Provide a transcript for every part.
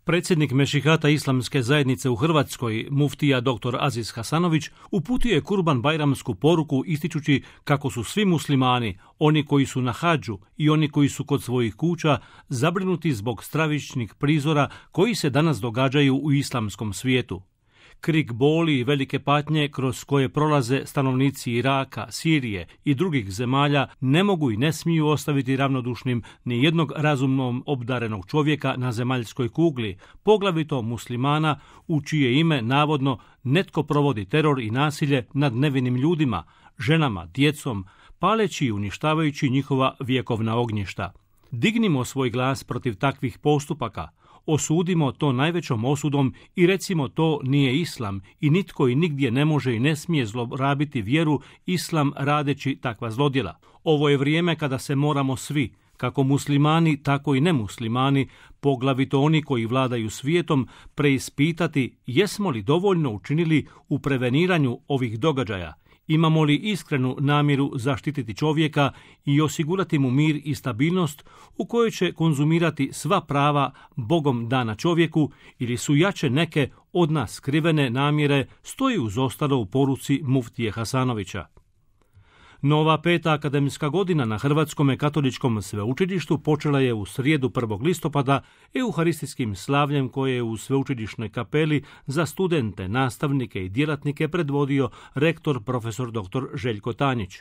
Predsjednik Mešihata Islamske zajednice u Hrvatskoj, muftija dr. Aziz Hasanović, uputio je Kurban Bajramsku poruku ističući kako su svi muslimani, oni koji su na hadžu i oni koji su kod svojih kuća, zabrinuti zbog stravičnih prizora koji se danas događaju u islamskom svijetu. Krik boli i velike patnje kroz koje prolaze stanovnici Iraka, Sirije i drugih zemalja ne mogu i ne smiju ostaviti ravnodušnim ni jednog razumnom obdarenog čovjeka na zemaljskoj kugli, poglavito muslimana u čije ime navodno netko provodi teror i nasilje nad nevinim ljudima, ženama, djecom, paleći i uništavajući njihova vjekovna ognjišta. Dignimo svoj glas protiv takvih postupaka. Osudimo to najvećom osudom i recimo to nije islam i nitko i nigdje ne može i ne smije zlorabiti vjeru islam radeći takva zlodjela. Ovo je vrijeme kada se moramo svi, kako muslimani, tako i nemuslimani, poglavito oni koji vladaju svijetom, preispitati jesmo li dovoljno učinili u preveniranju ovih događaja. Imamo li iskrenu namjeru zaštititi čovjeka i osigurati mu mir i stabilnost u kojoj će konzumirati sva prava Bogom dana čovjeku ili su jače neke od nas skrivene namjere stoji uz ostalo u poruci muftije Hasanovića. Nova 5. akademska godina na Hrvatskome katoličkom sveučilištu počela je u srijedu 1. listopada euharistijskim slavljem koje je u sveučilišnoj kapeli za studente, nastavnike i djelatnike predvodio rektor profesor dr. Željko Tanjić.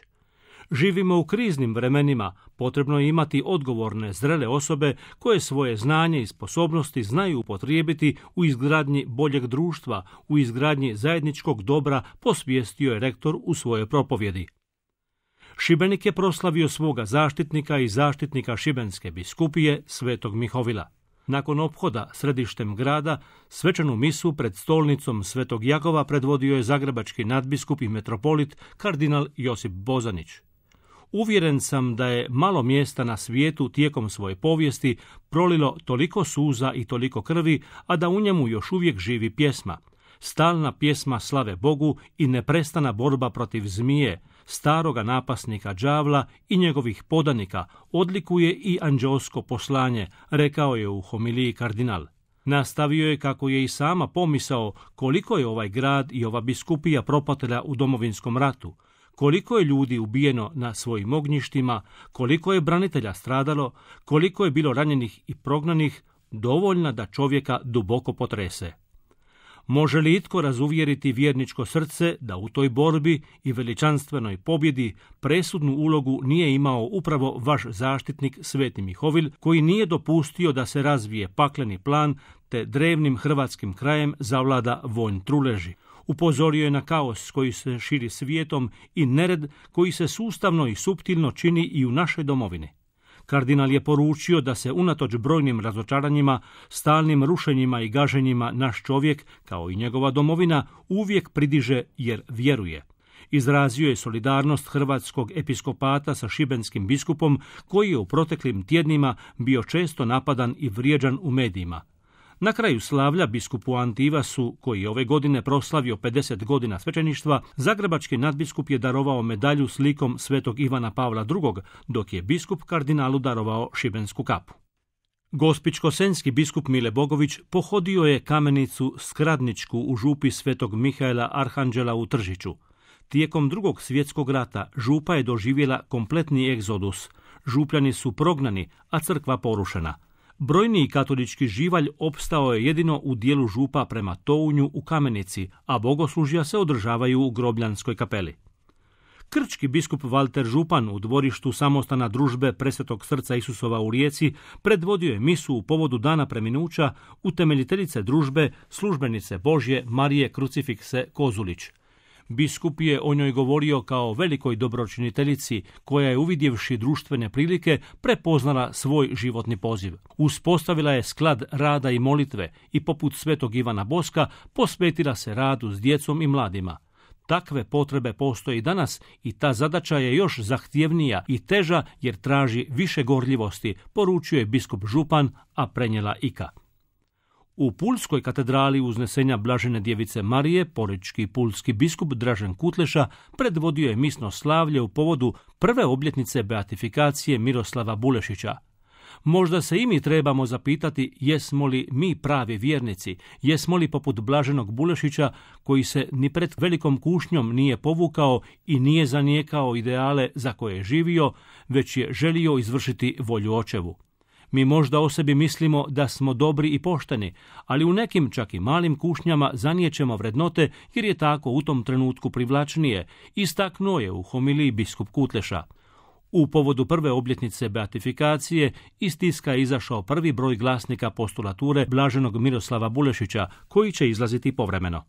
Živimo u kriznim vremenima, potrebno je imati odgovorne, zrele osobe koje svoje znanje i sposobnosti znaju upotrijebiti u izgradnji boljeg društva, u izgradnji zajedničkog dobra, posvijestio je rektor u svojoj propovjedi. Šibenik je proslavio svoga zaštitnika i zaštitnika Šibenske biskupije Svetog Mihovila. Nakon ophoda središtem grada, svečanu misu pred stolnicom Svetog Jakova predvodio je zagrebački nadbiskup i metropolit kardinal Josip Bozanić. Uvjeren sam da je malo mjesta na svijetu tijekom svoje povijesti prolilo toliko suza i toliko krvi, a da u njemu još uvijek živi pjesma. Stalna pjesma slave Bogu i neprestana borba protiv zmije, staroga napasnika đavla i njegovih podanika odlikuje i anđelsko poslanje, rekao je u homiliji kardinal. Nastavio je kako je i sama pomisao koliko je ovaj grad i ova biskupija propatila u Domovinskom ratu, koliko je ljudi ubijeno na svojim ognjištima, koliko je branitelja stradalo, koliko je bilo ranjenih i prognanih, dovoljna da čovjeka duboko potrese. Može li itko razuvjeriti vjerničko srce da u toj borbi i veličanstvenoj pobjedi presudnu ulogu nije imao upravo vaš zaštitnik Sveti Mihovil, koji nije dopustio da se razvije pakleni plan te drevnim hrvatskim krajem zavlada vonj truleži. Upozorio je na kaos koji se širi svijetom i nered koji se sustavno i suptilno čini i u našoj domovini. Kardinal je poručio da se unatoč brojnim razočaranjima, stalnim rušenjima i gaženjima naš čovjek, kao i njegova domovina, uvijek pridiže jer vjeruje. Izrazio je solidarnost hrvatskog episkopata sa šibenskim biskupom, koji je u proteklim tjednima bio često napadan i vrijeđan u medijima. Na kraju slavlja biskupu Antivasu, koji je ove godine proslavio 50 godina svećeništva, zagrebački nadbiskup je darovao medalju s likom svetog Ivana Pavla II, dok je biskup kardinalu darovao šibensku kapu. Gospićko-senjski biskup Mile Bogović pohodio je kamenicu Skradničku u župi svetog Mihaela Arhanđela u Tržiću. Tijekom Drugog svjetskog rata župa je doživjela kompletni egzodus. Župljani su prognani, a crkva porušena. Brojniji katolički živalj opstao je jedino u dijelu župa prema Tounju u Kamenici, a bogoslužja se održavaju u Grobljanskoj kapeli. Krčki biskup Valter Župan u dvorištu samostana družbe Presvetog srca Isusova u Rijeci predvodio je misu u povodu dana preminuća utemeljiteljice družbe, službenice Božje Marije Krucifikse Kozulić. Biskup je o njoj govorio kao velikoj dobročiniteljici koja je, uvidjevši društvene prilike, prepoznala svoj životni poziv. Uspostavila je sklad rada i molitve i poput svetog Ivana Boska posvetila se radu s djecom i mladima. Takve potrebe postoje i danas i ta zadaća je još zahtjevnija i teža jer traži više gorljivosti, poručuje biskup Župan, a prenijela Ika. U Pulskoj katedrali Uznesenja Blažene djevice Marije, porečki pulski biskup Dražen Kutleša predvodio je misno slavlje u povodu prve obljetnice beatifikacije Miroslava Bulešića. Možda se i mi trebamo zapitati jesmo li mi pravi vjernici, jesmo li poput blaženog Bulešića koji se ni pred velikom kušnjom nije povukao i nije zanijekao ideale za koje je živio, već je želio izvršiti volju očevu. Mi možda o sebi mislimo da smo dobri i pošteni, ali u nekim čak i malim kušnjama zanijećemo vrednote jer je tako u tom trenutku privlačnije, istaknuo je u homiliji biskup Kutleša. U povodu prve obljetnice beatifikacije iz tiska je izašao prvi broj glasnika postulature blaženog Miroslava Bulešića, koji će izlaziti povremeno.